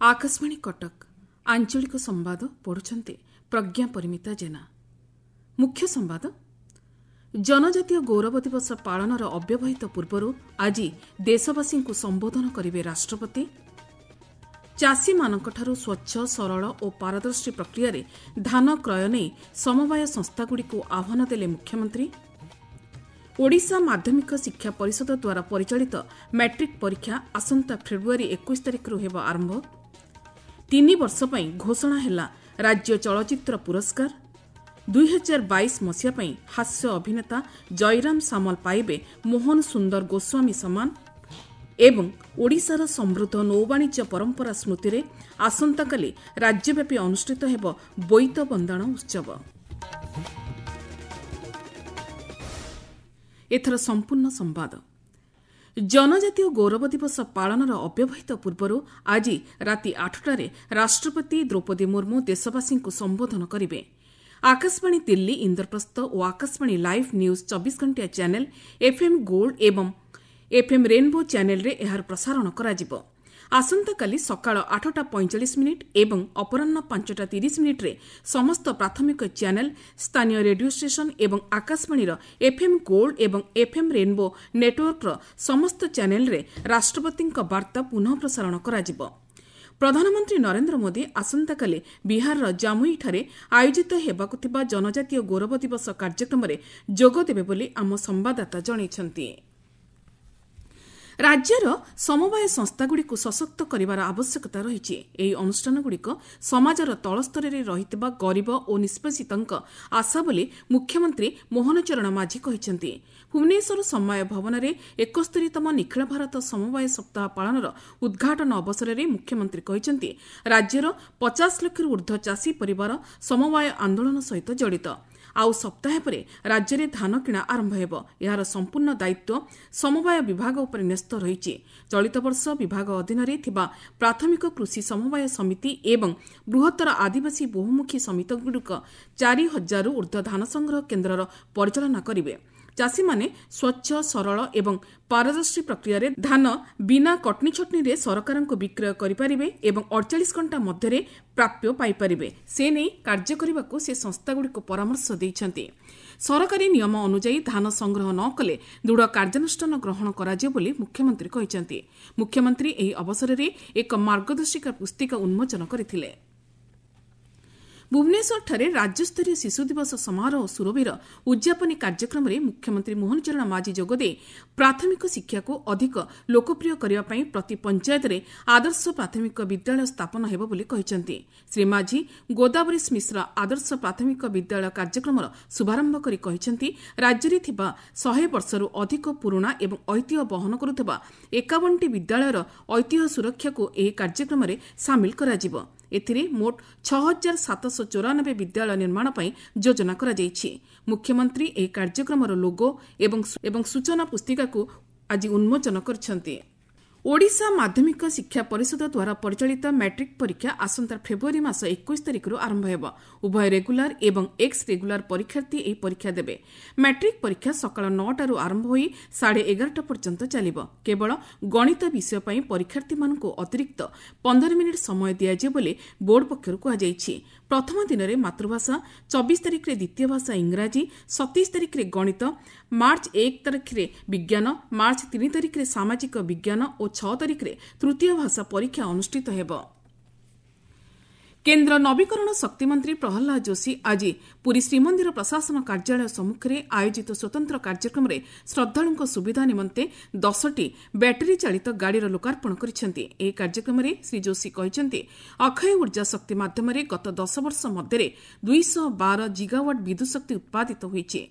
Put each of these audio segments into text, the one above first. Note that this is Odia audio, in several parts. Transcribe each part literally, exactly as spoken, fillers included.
ଆକାଶବାଣୀ କଟକ ଆଞ୍ଚଳିକ ସମ୍ବାଦ ପଢୁଛନ୍ତି ପ୍ରଜ୍ଞା ପରିମିତା ଜେନା। ମୁଖ୍ୟ ସମ୍ବାଦ। ଜନଜାତୀୟ ଗୌରବ ଦିବସ ପାଳନର ଅବ୍ୟବହିତ ପୂର୍ବରୁ ଆଜି ଦେଶବାସୀଙ୍କୁ ସମ୍ବୋଧନ କରିବେ ରାଷ୍ଟ୍ରପତି। ଚାଷୀମାନଙ୍କଠାରୁ ସ୍ୱଚ୍ଛ, ସରଳ ଓ ପାରଦର୍ଶୀ ପ୍ରକ୍ରିୟାରେ ଧାନ କ୍ରୟ ନେଇ ସମବାୟ ସଂସ୍ଥାଗୁଡ଼ିକୁ ଆହ୍ୱାନ ଦେଲେ ମୁଖ୍ୟମନ୍ତ୍ରୀ। ଓଡ଼ିଶା ମାଧ୍ୟମିକ ଶିକ୍ଷା ପରିଷଦ ଦ୍ୱାରା ପରିଚାଳିତ ମାଟ୍ରିକ୍ ପରୀକ୍ଷା ଆସନ୍ତା ଫେବୃଆରୀ ଏକୋଇଶ ତାରିଖରୁ ହେବ ଆରମ୍ଭ। ତିନି ବର୍ଷ ପାଇଁ ଘୋଷଣା ହେଲା ରାଜ୍ୟ ଚଳଚ୍ଚିତ୍ର ପୁରସ୍କାର। ଦୁଇହଜାର ବାଇଶ ମସିହା ପାଇଁ ହାସ୍ୟ ଅଭିନେତା ଜୟରାମ ସାମଲ ପାଇବେ ମୋହନ ସୁନ୍ଦର ଗୋସ୍ୱାମୀ ସମ୍ମାନ। ଏବଂ ଓଡ଼ିଶାର ସମୃଦ୍ଧ ନୌବାଣିଜ୍ୟ ପରମ୍ପରା ସ୍ମୃତିରେ ଆସନ୍ତାକାଲି ରାଜ୍ୟବ୍ୟାପୀ ଅନୁଷ୍ଠିତ ହେବ ବୋଇତ ବନ୍ଦାଣ ଉତ୍ସବ। ଏଥର ସମ୍ପୂର୍ଣ୍ଣ ସମ୍ବାଦ। ଜନଜାତୀୟ ଗୌରବ ଦିବସ ପାଳନର ଅବ୍ୟବହିତ ପୂର୍ବରୁ ଆଜି ରାତି ଆଠଟାରେ ରାଷ୍ଟ୍ରପତି ଦ୍ରୌପଦୀ ମୁର୍ମୁ ଦେଶବାସୀଙ୍କୁ ସମ୍ବୋଧନ କରିବେ। ଆକାଶବାଣୀ ଦିଲ୍ଲୀ, ଇନ୍ଦ୍ରପ୍ରସ୍ଥ ଓ ଆକାଶବାଣୀ ଲାଇଭ୍ ନ୍ୟୁଜ୍ ଚବିଶ ଘଣ୍ଟିଆ ଚ୍ୟାନେଲ୍, ଏଫ୍ଏମ୍ ଗୋଲ୍ଡ ଏବଂ ଏଫ୍ଏମ୍ ରେନ୍ବୋ ଚ୍ୟାନେଲ୍ରେ ଏହାର ପ୍ରସାରଣ କରାଯିବ। ଆସନ୍ତାକାଲି ସକାଳ ଆଠଟା ପଇଁଚାଳିଶ ମିନିଟ୍ ଏବଂ ଅପରାହ୍ନ ପାଞ୍ଚଟା ତିରିଶ ମିନିଟ୍ରେ ସମସ୍ତ ପ୍ରାଥମିକ ଚ୍ୟାନେଲ୍, ସ୍ଥାନୀୟ ରେଡିଓ ଷ୍ଟେସନ୍ ଏବଂ ଆକାଶବାଣୀର ଏଫ୍ଏମ୍ ଗୋଲ୍ଡ ଏବଂ ଏଫ୍ଏମ୍ ରେନ୍ବୋ ନେଟ୍ୱର୍କର ସମସ୍ତ ଚ୍ୟାନେଲ୍ରେ ରାଷ୍ଟ୍ରପତିଙ୍କ ବାର୍ତ୍ତା ପୁନଃ ପ୍ରସାରଣ କରାଯିବ। ପ୍ରଧାନମନ୍ତ୍ରୀ ନରେନ୍ଦ୍ର ମୋଦି ଆସନ୍ତାକାଲି ବିହାରର ଜାମୁଇଠାରେ ଆୟୋଜିତ ହେବାକୁ ଥିବା ଜନଜାତୀୟ ଗୌରବ ଦିବସ କାର୍ଯ୍ୟକ୍ରମରେ ଯୋଗଦେବେ ବୋଲି ଆମ ସମ୍ବାଦଦାତା ଜଣାଇଛନ୍ତି। ରାଜ୍ୟର ସମବାୟ ସଂସ୍ଥାଗୁଡ଼ିକୁ ସଶକ୍ତ କରିବାର ଆବଶ୍ୟକତା ରହିଛି। ଏହି ଅନୁଷ୍ଠାନଗୁଡ଼ିକ ସମାଜର ତଳସ୍ତରରେ ରହିଥିବା ଗରିବ ଓ ନିଷ୍ପେଷିତଙ୍କ ଆଶା ବୋଲି ମୁଖ୍ୟମନ୍ତ୍ରୀ ମୋହନ ଚରଣ ମାଝୀ କହିଛନ୍ତି। ଭୁବନେଶ୍ୱର ସମବାୟ ଭବନରେ ଏକସ୍ତରୀତମ ନିଖିଳ ଭାରତ ସମବାୟ ସପ୍ତାହ ପାଳନର ଉଦ୍ଘାଟନ ଅବସରରେ ମୁଖ୍ୟମନ୍ତ୍ରୀ କହିଛନ୍ତି, ରାଜ୍ୟର ପଚାଶ ଲକ୍ଷରୁ ଊର୍ଦ୍ଧ୍ୱ ଚାଷୀ ପରିବାର ସମବାୟ ଆନ୍ଦୋଳନ ସହିତ ଜଡ଼ିତ। ଆଉ ସପ୍ତାହେ ପରେ ରାଜ୍ୟରେ ଧାନ କିଣା ଆରମ୍ଭ ହେବ। ଏହାର ସମ୍ପୂର୍ଣ୍ଣ ଦାୟିତ୍ୱ ସମବାୟ ବିଭାଗ ଉପରେ ନ୍ୟସ୍ତ ରହିଛି। ଚଳିତ ବର୍ଷ ବିଭାଗ ଅଧୀନରେ ଥିବା ପ୍ରାଥମିକ କୃଷି ସମବାୟ ସମିତି ଏବଂ ବୃହତ୍ତର ଆଦିବାସୀ ବହୁମୁଖୀ ସମିତିଗୁଡ଼ିକ ଚାରି ହଜାରରୁ ଊର୍ଦ୍ଧ୍ୱ ଧାନ ସଂଗ୍ରହ କେନ୍ଦ୍ରର ପରିଚାଳନା କରିବେ। ଚାଷୀମାନେ ସ୍ୱଚ୍ଛ, ସରଳ ଏବଂ ପାରଦର୍ଶୀ ପ୍ରକ୍ରିୟାରେ ଧାନ ବିନା କଟନୀଛଟନୀରେ ସରକାରଙ୍କୁ ବିକ୍ରୟ କରିପାରିବେ ଏବଂ ଅଡ଼ଚାଳିଶ ଘଣ୍ଟା ମଧ୍ୟରେ ପ୍ରାପ୍ୟ ପାଇପାରିବେ, ସେ ନେଇ କାର୍ଯ୍ୟ କରିବାକୁ ସେ ସଂସ୍ଥାଗୁଡ଼ିକୁ ପରାମର୍ଶ ଦେଇଛନ୍ତି। ସରକାରୀ ନିୟମ ଅନୁଯାୟୀ ଧାନ ସଂଗ୍ରହ ନ କଲେ ଦୃଢ଼ କାର୍ଯ୍ୟାନୁଷ୍ଠାନ ଗ୍ରହଣ କରାଯିବ ବୋଲି ମୁଖ୍ୟମନ୍ତ୍ରୀ କହିଛନ୍ତି। ମୁଖ୍ୟମନ୍ତ୍ରୀ ଏହି ଅବସରରେ ଏକ ମାର୍ଗଦର୍ଶିକା ପୁସ୍ତିକା ଉନ୍ମୋଚନ କରିଥିଲେ। ଭୁବନେଶ୍ୱରଠାରେ ରାଜ୍ୟସ୍ତରୀୟ ଶିଶୁ ଦିବସ ସମାରୋହ ସୁରଭିର ଉଦ୍ଯାପନୀ କାର୍ଯ୍ୟକ୍ରମରେ ମୁଖ୍ୟମନ୍ତ୍ରୀ ମୋହନ ଚରଣ ମାଝୀ ଯୋଗଦେଇ ପ୍ରାଥମିକ ଶିକ୍ଷାକୁ ଅଧିକ ଲୋକପ୍ରିୟ କରିବା ପାଇଁ ପ୍ରତି ପଞ୍ଚାୟତରେ ଆଦର୍ଶ ପ୍ରାଥମିକ ବିଦ୍ୟାଳୟ ସ୍ଥାପନ ହେବ ବୋଲି କହିଛନ୍ତି। ଶ୍ରୀ ମାଝୀ ଗୋଦାବରୀଶ ମିଶ୍ର ଆଦର୍ଶ ପ୍ରାଥମିକ ବିଦ୍ୟାଳୟ କାର୍ଯ୍ୟକ୍ରମର ଶୁଭାରମ୍ଭ କରି କହିଛନ୍ତି, ରାଜ୍ୟରେ ଥିବା ଶହେ ବର୍ଷରୁ ଅଧିକ ପୁରୁଣା ଏବଂ ଐତିହ୍ୟ ବହନ କରୁଥିବା ଏକାବନଟି ବିଦ୍ୟାଳୟର ଐତିହ୍ୟ ସୁରକ୍ଷାକୁ ଏହି କାର୍ଯ୍ୟକ୍ରମରେ ସାମିଲ କରାଯିବ। ଏଥିରେ ମୋଟ ଛଅ ହଜାର ସାତଶହ ଚଉରାନବେ ବିଦ୍ୟାଳୟ ନିର୍ମାଣ ପାଇଁ ଯୋଜନା କରାଯାଇଛି। ମୁଖ୍ୟମନ୍ତ୍ରୀ ଏହି କାର୍ଯ୍ୟକ୍ରମର ଲୋଗୋ ଏବଂ ଏବଂ ସୂଚନା ପୁସ୍ତିକାକୁ ଆଜି ଉନ୍ମୋଚନ କରିଛନ୍ତି। ଓଡ଼ିଶା ମାଧ୍ୟମିକ ଶିକ୍ଷା ପରିଷଦ ଦ୍ୱାରା ପରିଚାଳିତ ମାଟ୍ରିକ୍ ପରୀକ୍ଷା ଆସନ୍ତା ଫେବୃଆରୀ ମାସ ଏକୋଇଶ ତାରିଖରୁ ଆରମ୍ଭ ହେବ। ଉଭୟ ରେଗୁଲାର ଏବଂ ଏକ୍ସ ରେଗୁଲାର ପରୀକ୍ଷାର୍ଥୀ ଏହି ପରୀକ୍ଷା ଦେବେ। ମାଟ୍ରିକ୍ ପରୀକ୍ଷା ସକାଳ ନଅଟାରୁ ଆରମ୍ଭ ହୋଇ ସାଢ଼େ ଏଗାରଟା ପର୍ଯ୍ୟନ୍ତ ଚାଲିବ। କେବଳ ଗଣିତ ବିଷୟ ପାଇଁ ପରୀକ୍ଷାର୍ଥୀମାନଙ୍କୁ ଅତିରିକ୍ତ ପନ୍ଦର ମିନିଟ୍ ସମୟ ଦିଆଯିବ ବୋଲି ବୋର୍ଡ ପକ୍ଷରୁ କୁହାଯାଇଛି। ପ୍ରଥମ ଦିନରେ ମାତୃଭାଷା, ଚବିଶ ତାରିଖରେ ଦ୍ୱିତୀୟ ଭାଷା ଇଂରାଜୀ, ସତେଇଶ ତାରିଖରେ ଗଣିତ, ମାର୍ଚ୍ଚ ଏକ ତାରିଖରେ ବିଜ୍ଞାନ, ମାର୍ଚ୍ଚ ତିନି ତାରିଖରେ ସାମାଜିକ ବିଜ୍ଞାନ ଓ ଛଅ ତାରିଖରେ ତୃତୀୟ ଭାଷା ପରୀକ୍ଷା ଅନୁଷ୍ଠିତ ହେବ। କେନ୍ଦ୍ର ନବୀକରଣ ଶକ୍ତିମନ୍ତ୍ରୀ ପ୍ରହ୍ଲାଦ ଯୋଶୀ ଆଜି ପୁରୀ ଶ୍ରୀମନ୍ଦିର ପ୍ରଶାସନ କାର୍ଯ୍ୟାଳୟ ସମ୍ମୁଖରେ ଆୟୋଜିତ ସ୍ୱତନ୍ତ୍ର କାର୍ଯ୍ୟକ୍ରମରେ ଶ୍ରଦ୍ଧାଳୁଙ୍କ ସୁବିଧା ନିମନ୍ତେ ଦଶଟି ବ୍ୟାଟେରୀ ଚାଳିତ ଗାଡ଼ିର ଲୋକାର୍ପଣ କରିଛନ୍ତି। ଏହି କାର୍ଯ୍ୟକ୍ରମରେ ଶ୍ରୀ ଯୋଶୀ କହିଛନ୍ତି, ଅକ୍ଷୟ ଉର୍ଜା ଶକ୍ତି ମାଧ୍ୟମରେ ଗତ ଦଶ ବର୍ଷ ମଧ୍ୟରେ ଦୁଇଶହ ବାର ଜିଗାୱାଟ୍ ବିଦ୍ୟୁତ୍ ଶକ୍ତି ଉତ୍ପାଦିତ ହୋଇଛି।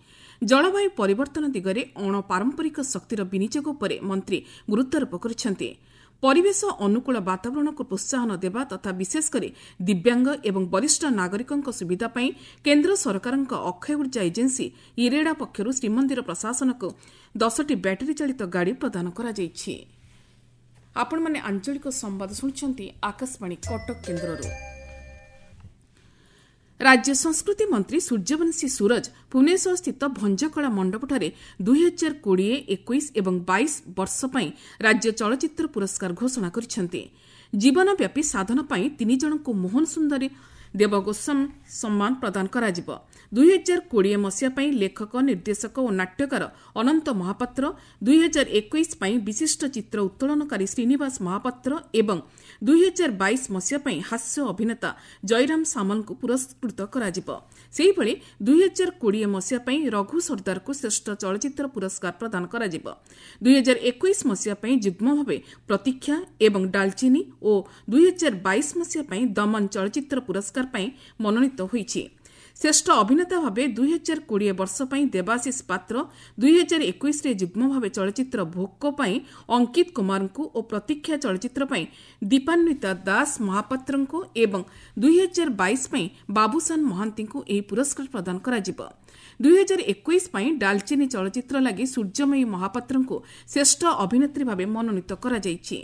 ଜଳବାୟୁ ପରିବର୍ତ୍ତନ ଦିଗରେ ଅଣପାରମ୍ପରିକ ଶକ୍ତିର ବିନିଯୋଗ ଉପରେ ମନ୍ତ୍ରୀ ଗୁରୁତ୍ୱାରୋପ କରିଛନ୍ତି। ପରିବେଶ ଅନୁକୂଳ ବାତାବରଣକୁ ପ୍ରୋତ୍ସାହନ ଦେବା ତଥା ବିଶେଷ କରି ଦିବ୍ୟାଙ୍ଗ ଏବଂ ବରିଷ୍ଠ ନାଗରିକଙ୍କ ସୁବିଧା ପାଇଁ କେନ୍ଦ୍ର ସରକାରଙ୍କ ଅକ୍ଷୟ ଉର୍ଜା ଏଜେନ୍ସି ଇରେଡା ପକ୍ଷରୁ ଶ୍ରୀମନ୍ଦିର ପ୍ରଶାସନକୁ ଦଶଟି ବ୍ୟାଟେରୀ ଚାଳିତ ଗାଡ଼ି ପ୍ରଦାନ କରାଯାଇଛି। ଆପଣମାନେ ଆଞ୍ଚଳିକ ସମ୍ବାଦ ଶୁଣୁଛନ୍ତି ଆକାଶବାଣୀ କଟକ କେନ୍ଦ୍ରରୁ। ରାଜ୍ୟ ସଂସ୍କୃତି ମନ୍ତ୍ରୀ ସୂର୍ଯ୍ୟବଂଶୀ ସୂରଜ ଭୁବନେଶ୍ୱରସ୍ଥିତ ଭଞ୍ଜକଳା ମଣ୍ଡପଠାରେ ଦୁଇହଜାର କୋଡ଼ିଏ, ଏକୋଇଶ ଏବଂ ବାଇଶ ବର୍ଷ ପାଇଁ ରାଜ୍ୟ ଚଳଚ୍ଚିତ୍ର ପୁରସ୍କାର ଘୋଷଣା କରିଛନ୍ତି। ଜୀବନବ୍ୟାପୀ ସାଧନ ପାଇଁ ତିନି ଜଣଙ୍କୁ ମୋହନ ସୁନ୍ଦରୀ ଦେବ ଗୋସ୍ୱାମୀ ସମ୍ମାନ ପ୍ରଦାନ କରାଯିବ। ଦୁଇହଜାର କୋଡ଼ିଏ ମସିହା ପାଇଁ ଲେଖକ, ନିର୍ଦ୍ଦେଶକ ଓ ନାଟ୍ୟକାର ଅନନ୍ତ ମହାପାତ୍ର, ଦୁଇହଜାର ଏକୋଇଶ ପାଇଁ ବିଶିଷ୍ଟ ଚିତ୍ର ଉତ୍ତୋଳନକାରୀ ଶ୍ରୀନିବାସ ମହାପାତ୍ର ଏବଂ ଦୁଇହଜାର ବାଇଶ ମସିହା ପାଇଁ ହାସ୍ୟ ଅଭିନେତା ଜୟରାମ ସାମଲଙ୍କୁ ପୁରସ୍କୃତ କରାଯିବ। ସେହିଭଳି ଦୁଇହଜାର କୋଡ଼ିଏ ମସିହା ପାଇଁ ରଘୁ ସର୍ଦ୍ଦାରକୁ ଶ୍ରେଷ୍ଠ ଚଳଚ୍ଚିତ୍ର ପୁରସ୍କାର ପ୍ରଦାନ କରାଯିବ। ଦୁଇହଜାର ଏକୋଇଶ ମସିହା ପାଇଁ ଯୁଗ୍ମ ଭାବେ ପ୍ରତୀକ୍ଷା ଏବଂ ଡାଲଚିନି ଓ ଦୁଇହଜାର ବାଇଶ ମସିହା ପାଇଁ ଦମନ ଚଳଚ୍ଚିତ୍ର ପୁରସ୍କାର ପାଇଁ ମନୋନୀତ ହୋଇଛି। ଶ୍ରେଷ୍ଠ ଅଭିନେତା ଭାବେ ଦୁଇହଜାର କୋଡ଼ିଏ ବର୍ଷ ପାଇଁ ଦେବାଶିଷ ପାତ୍ର, ଦୁଇହଜାର ଏକୋଇଶରେ ଯୁଗ୍ମ ଭାବେ ଚଳଚ୍ଚିତ୍ର ଭୋକ ପାଇଁ ଅଙ୍କିତ କୁମାରଙ୍କୁ ଓ ପ୍ରତୀକ୍ଷା ଚଳଚ୍ଚିତ୍ର ପାଇଁ ଦୀପାନ୍ୱିତା ଦାସ ମହାପାତ୍ରଙ୍କୁ ଏବଂ ଦୁଇହଜାର ବାଇଶ ପାଇଁ ବାବୁସାନ ମହାନ୍ତିଙ୍କୁ ଏହି ପୁରସ୍କାର ପ୍ରଦାନ କରାଯିବ। ଦୁଇହଜାର ଏକୋଇଶ ପାଇଁ ଡାଲଚିନି ଚଳଚ୍ଚିତ୍ର ଲାଗି ସୂର୍ଯ୍ୟମୟୀ ମହାପାତ୍ରଙ୍କୁ ଶ୍ରେଷ୍ଠ ଅଭିନେତ୍ରୀ ଭାବେ ମନୋନୀତ କରାଯାଇଛି।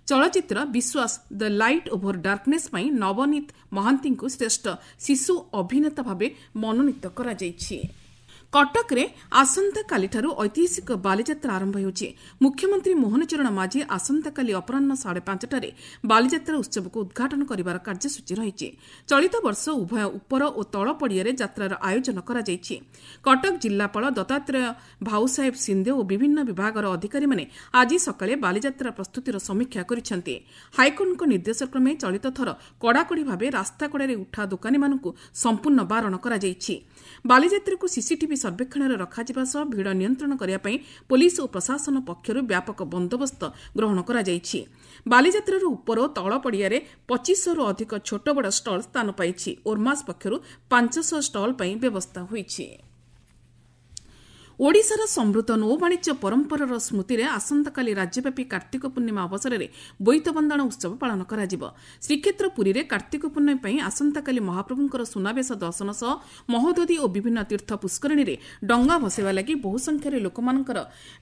ଚଳଚ୍ଚିତ୍ର Biswas the light over darkness ପାଇଁ ନବନୀତ ମହାନ୍ତିଙ୍କୁ ଶ୍ରେଷ୍ଠ ଶିଶୁ ଅଭିନେତା ଭାବେ ମନୋନୀତ କରାଯାଇଛି। କଟକରେ ଆସନ୍ତାକାଲିଠାରୁ ଐତିହାସିକ ବାଲିଯାତ୍ରା ଆରମ୍ଭ ହେଉଛି। ମୁଖ୍ୟମନ୍ତ୍ରୀ ମୋହନ ଚରଣ ମାଝୀ ଆସନ୍ତାକାଲି ଅପରାହ୍ନ ସାଢ଼େ ପାଞ୍ଚଟାରେ ବାଲିଯାତ୍ରା ଉତ୍ସବକୁ ଉଦ୍ଘାଟନ କରିବାର କାର୍ଯ୍ୟସୂଚୀ ରହିଛି। ଚଳିତ ବର୍ଷ ଉଭୟ ଉପର ଓ ତଳ ପଡ଼ିଆରେ ଯାତ୍ରାର ଆୟୋଜନ କରାଯାଇଛି। କଟକ ଜିଲ୍ଲାପାଳ ଦତ୍ତାତ୍ରେୟ ଭାଉସାହେବ ସିନ୍ଦେ ଓ ବିଭିନ୍ନ ବିଭାଗର ଅଧିକାରୀମାନେ ଆଜି ସକାଳେ ବାଲିଯାତ୍ରା ପ୍ରସ୍ତୁତିର ସମୀକ୍ଷା କରିଛନ୍ତି। ହାଇକୋର୍ଟଙ୍କ ନିର୍ଦ୍ଦେଶକ୍ରମେ ଚଳିତ ଥର କଡ଼ାକଡ଼ି ଭାବେ ରାସ୍ତାକଡ଼ରେ ଉଠା ଦୋକାନୀମାନଙ୍କୁ ସମ୍ପୂର୍ଣ୍ଣ ବାରଣ କରାଯାଇଛି। ବାଲିଯାତ୍ରାକୁ ସିସିଟିଭି ସର୍ବେକ୍ଷଣରେ ରଖାଯିବା ସହ ଭିଡ଼ ନିୟନ୍ତ୍ରଣ କରିବା ପାଇଁ ପୋଲିସ ଓ ପ୍ରଶାସନ ପକ୍ଷରୁ ବ୍ୟାପକ ବନ୍ଦୋବସ୍ତ ଗ୍ରହଣ କରାଯାଇଛି। ବାଲିଯାତ୍ରାର ଉପର ଓ ତଳ ପଡ଼ିଆରେ ପଚିଶଶହରୁ ଅଧିକ ଛୋଟ ବଡ଼ ଷ୍ଟଲ୍ ସ୍ଥାନ ପାଇଛି। ଓର୍ମାସ୍ ପକ୍ଷରୁ ପାଞ୍ଚଶହ ଷ୍ଟଲ୍ ପାଇଁ ବ୍ୟବସ୍ଥା ହୋଇଛି। ଓଡ଼ିଶାର ସମୃଦ୍ଧ ନୌବାଣିଜ୍ୟ ପରମ୍ପରାର ସ୍ମୃତିରେ ଆସନ୍ତାକାଲି ରାଜ୍ୟବ୍ୟାପୀ କାର୍ତ୍ତିକ ପୂର୍ଣ୍ଣିମା ଅବସରରେ ବୋଇତ ବନ୍ଦାଣ ଉତ୍ସବ ପାଳନ କରାଯିବ। ଶ୍ରୀକ୍ଷେତ୍ର ପୁରୀରେ କାର୍ତ୍ତିକ ପୂର୍ଣ୍ଣିମା ପାଇଁ ଆସନ୍ତାକାଲି ମହାପ୍ରଭୁଙ୍କର ସୁନାବେଶ ଦର୍ଶନ ସହ ମହୋଦଧି ଓ ବିଭିନ୍ନ ତୀର୍ଥ ପୁଷ୍କରିଣୀରେ ଡଙ୍ଗା ଭସାଇବା ଲାଗି ବହୁ ସଂଖ୍ୟାରେ ଲୋକମାନଙ୍କର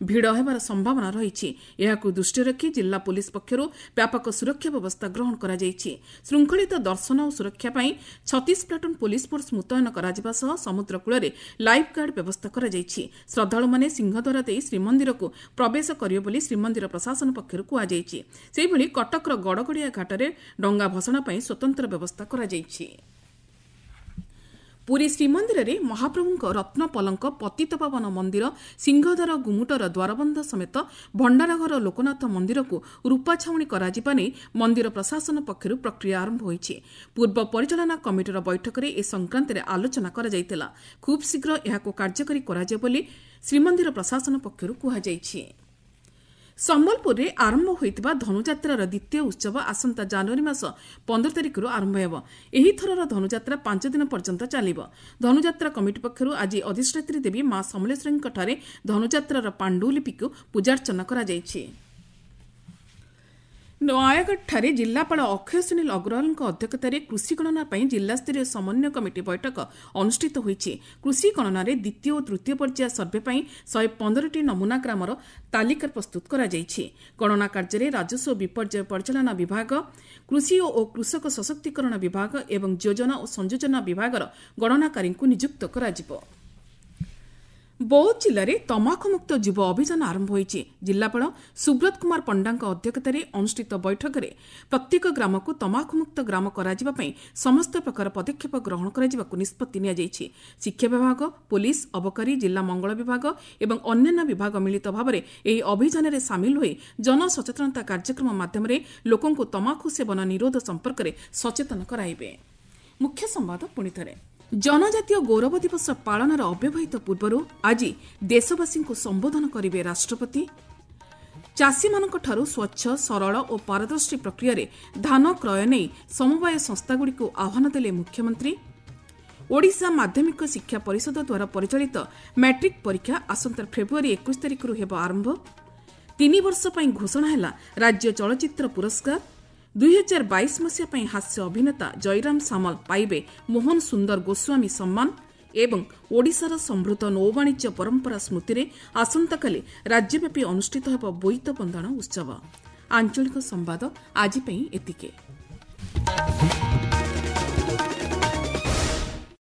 ଭିଡ଼ ହେବାର ସମ୍ଭାବନା ରହିଛି। ଏହାକୁ ଦୃଷ୍ଟିରେ ରଖି ଜିଲ୍ଲା ପୋଲିସ ପକ୍ଷରୁ ବ୍ୟାପକ ସୁରକ୍ଷା ବ୍ୟବସ୍ଥା ଗ୍ରହଣ କରାଯାଇଛି। ଶୃଙ୍ଖଳିତ ଦର୍ଶନ ଓ ସୁରକ୍ଷା ପାଇଁ ଛତିଶ ପ୍ଲାଟୁନ୍ ପୋଲିସ ଫୋର୍ସ ମୁତୟନ କରାଯିବା ସହ ସମୁଦ୍ର କୂଳରେ ଲାଇଫ୍ ଗାର୍ଡ ବ୍ୟବସ୍ଥା କରାଯାଇଛି। ଶ୍ରଦ୍ଧାଳୁମାନେ ସିଂହଦ୍ୱାର ଦେଇ ଶ୍ରୀମନ୍ଦିରକୁ ପ୍ରବେଶ କରିବେ ବୋଲି ଶ୍ରୀମନ୍ଦିର ପ୍ରଶାସନ ପକ୍ଷରୁ କୁହାଯାଇଛି। ସେହିଭଳି କଟକର ଗଡ଼ଗଡ଼ିଆ ଘାଟରେ ଡଙ୍ଗା ଭସାଣ ପାଇଁ ସ୍ୱତନ୍ତ୍ର ବ୍ୟବସ୍ଥା କରାଯାଇଛି। ପୁରୀ ଶ୍ରୀମନ୍ଦିରରେ ମହାପ୍ରଭୁଙ୍କ ରତ୍ନ ପଲଙ୍କ, ପତିତପାବନ ମନ୍ଦିର, ସିଂହଦ୍ୱାର ଗୁମୁଟର ଦ୍ୱାରବନ୍ଧ ସମେତ ଭଣ୍ଡାରଘର ଲୋକନାଥ ମନ୍ଦିରକୁ ରୂପା ଛାଉଣି କରାଯିବା ନେଇ ମନ୍ଦିର ପ୍ରଶାସନ ପକ୍ଷରୁ ପ୍ରକ୍ରିୟା ଆରମ୍ଭ ହୋଇଛି। ପୂର୍ବ ପରିଚାଳନା କମିଟିର ବୈଠକରେ ଏ ସଂକ୍ରାନ୍ତରେ ଆଲୋଚନା କରାଯାଇଥିଲା। ଖୁବ୍ ଶୀଘ୍ର ଏହାକୁ କାର୍ଯ୍ୟକାରୀ କରାଯିବ ବୋଲି ଶ୍ରୀମନ୍ଦିର ପ୍ରଶାସନ ପକ୍ଷରୁ କୁହାଯାଇଛି। ସମ୍ବଲପୁରରେ ଆରମ୍ଭ ହୋଇଥିବା ଧନୁଯାତ୍ରାର ଦ୍ୱିତୀୟ ଉତ୍ସବ ଆସନ୍ତା ଜାନୁଆରୀ ମାସ ପନ୍ଦର ତାରିଖରୁ ଆରମ୍ଭ ହେବ। ଏହି ଥରର ଧନୁଯାତ୍ରା ପାଞ୍ଚ ଦିନ ପର୍ଯ୍ୟନ୍ତ ଚାଲିବ। ଧନୁଯାତ୍ରା କମିଟି ପକ୍ଷରୁ ଆଜି ଅଧିଷ୍ଠାତ୍ରୀ ଦେବୀ ମା ସମଲେଶ୍ୱରୀଙ୍କଠାରେ ଧନୁଯାତ୍ରାର ପାଣ୍ଡୁଲିପିକୁ ପୂଜାର୍ଚ୍ଚନା କରାଯାଇଛି। ନୟାଗଡ଼ଠାରେ ଜିଲ୍ଲାପାଳ ଅକ୍ଷୟ ସୁନୀଲ ଅଗ୍ରୱାଲଙ୍କ ଅଧ୍ୟକ୍ଷତାରେ କୃଷି ଗଣନା ପାଇଁ ଜିଲ୍ଲାସ୍ତରୀୟ ସମନ୍ୱୟ କମିଟି ବୈଠକ ଅନୁଷ୍ଠିତ ହୋଇଛି। କୃଷି ଗଣନାରେ ଦ୍ୱିତୀୟ ଓ ତୃତୀୟ ପର୍ଯ୍ୟାୟ ସର୍ଭେ ପାଇଁ ଶହେ ପନ୍ଦରଟି ନମୁନା ଗ୍ରାମର ତାଲିକା ପ୍ରସ୍ତୁତ କରାଯାଇଛି। ଗଣନା କାର୍ଯ୍ୟରେ ରାଜସ୍ୱ ବିପର୍ଯ୍ୟୟ ପରିଚାଳନା ବିଭାଗ, କୃଷି ଓ କୃଷକ ସଶକ୍ତିକରଣ ବିଭାଗ ଏବଂ ଯୋଜନା ଓ ସଂଯୋଜନା ବିଭାଗର ଗଣନାକାରୀଙ୍କୁ ନିଯୁକ୍ତ କରାଯିବ। ବୌଦ୍ଧ ଜିଲ୍ଲାରେ ତମାଖୁମୁକ୍ତ ଯୁବ ଅଭିଯାନ ଆରମ୍ଭ ହୋଇଛି। ଜିଲ୍ଲାପାଳ ସୁବ୍ରତ କୁମାର ପଣ୍ଡାଙ୍କ ଅଧ୍ୟକ୍ଷତାରେ ଅନୁଷ୍ଠିତ ବୈଠକରେ ପ୍ରତ୍ୟେକ ଗ୍ରାମକୁ ତମାଖୁମୁକ୍ତ ଗ୍ରାମ କରାଯିବା ପାଇଁ ସମସ୍ତ ପ୍ରକାର ପଦକ୍ଷେପ ଗ୍ରହଣ କରାଯିବାକୁ ନିଷ୍ପତ୍ତି ନିଆଯାଇଛି। ଶିକ୍ଷା ବିଭାଗ, ପୋଲିସ, ଅବକାରୀ, ଜିଲ୍ଲା ମଙ୍ଗଳ ବିଭାଗ ଏବଂ ଅନ୍ୟାନ୍ୟ ବିଭାଗ ମିଳିତ ଭାବରେ ଏହି ଅଭିଯାନରେ ସାମିଲ ହୋଇ ଜନସଚେତନତା କାର୍ଯ୍ୟକ୍ରମ ମାଧ୍ୟମରେ ଲୋକଙ୍କୁ ତମାଖୁ ସେବନ ନିରୋଧ ସମ୍ପର୍କରେ ସଚେତନ କରାଇବେ। ମୁଖ୍ୟ ସମ୍ବାଦ ପୁଣିଥରେ। ଜନଜାତୀୟ ଗୌରବ ଦିବସ ପାଳନର ଅବ୍ୟବହିତ ପୂର୍ବରୁ ଆଜି ଦେଶବାସୀଙ୍କୁ ସମ୍ବୋଧନ କରିବେ ରାଷ୍ଟ୍ରପତି। ଚାଷୀମାନଙ୍କଠାରୁ ସ୍ୱଚ୍ଛ, ସରଳ ଓ ପାରଦର୍ଶୀ ପ୍ରକ୍ରିୟାରେ ଧାନ କ୍ରୟ ନେଇ ସମବାୟ ସଂସ୍ଥାଗୁଡ଼ିକୁ ଆହ୍ୱାନ ଦେଲେ ମୁଖ୍ୟମନ୍ତ୍ରୀ। ଓଡ଼ିଶା ମାଧ୍ୟମିକ ଶିକ୍ଷା ପରିଷଦ ଦ୍ୱାରା ପରିଚାଳିତ ମ୍ୟାଟ୍ରିକ୍ ପରୀକ୍ଷା ଆସନ୍ତା ଫେବୃଆରୀ ଏକୋଇଶ ତାରିଖରୁ ହେବ ଆରମ୍ଭ। ତିନି ବର୍ଷ ପାଇଁ ଘୋଷଣା ହେଲା ରାଜ୍ୟ ଚଳଚ୍ଚିତ୍ର ପୁରସ୍କାର। ଦୁଇହଜାର ବାଇଶ ମସିହା ପାଇଁ ହାସ୍ୟ ଅଭିନେତା ଜୟରାମ ସାମଲ ପାଇବେ ମୋହନ ସୁନ୍ଦର ଗୋସ୍ୱାମୀ ସମ୍ମାନ। ଏବଂ ଓଡ଼ିଶାର ସମୃଦ୍ଧ ନୌବାଣିଜ୍ୟ ପରମ୍ପରା ସ୍ମୃତିରେ ଆସନ୍ତାକାଲି ରାଜ୍ୟବ୍ୟାପୀ ଅନୁଷ୍ଠିତ ହେବ ବୋଇତ ବନ୍ଦାଣ ଉତ୍ସବ। ଆଞ୍ଚଳିକ ସମ୍ବାଦ ଆଜି ପାଇଁ ଏତିକି।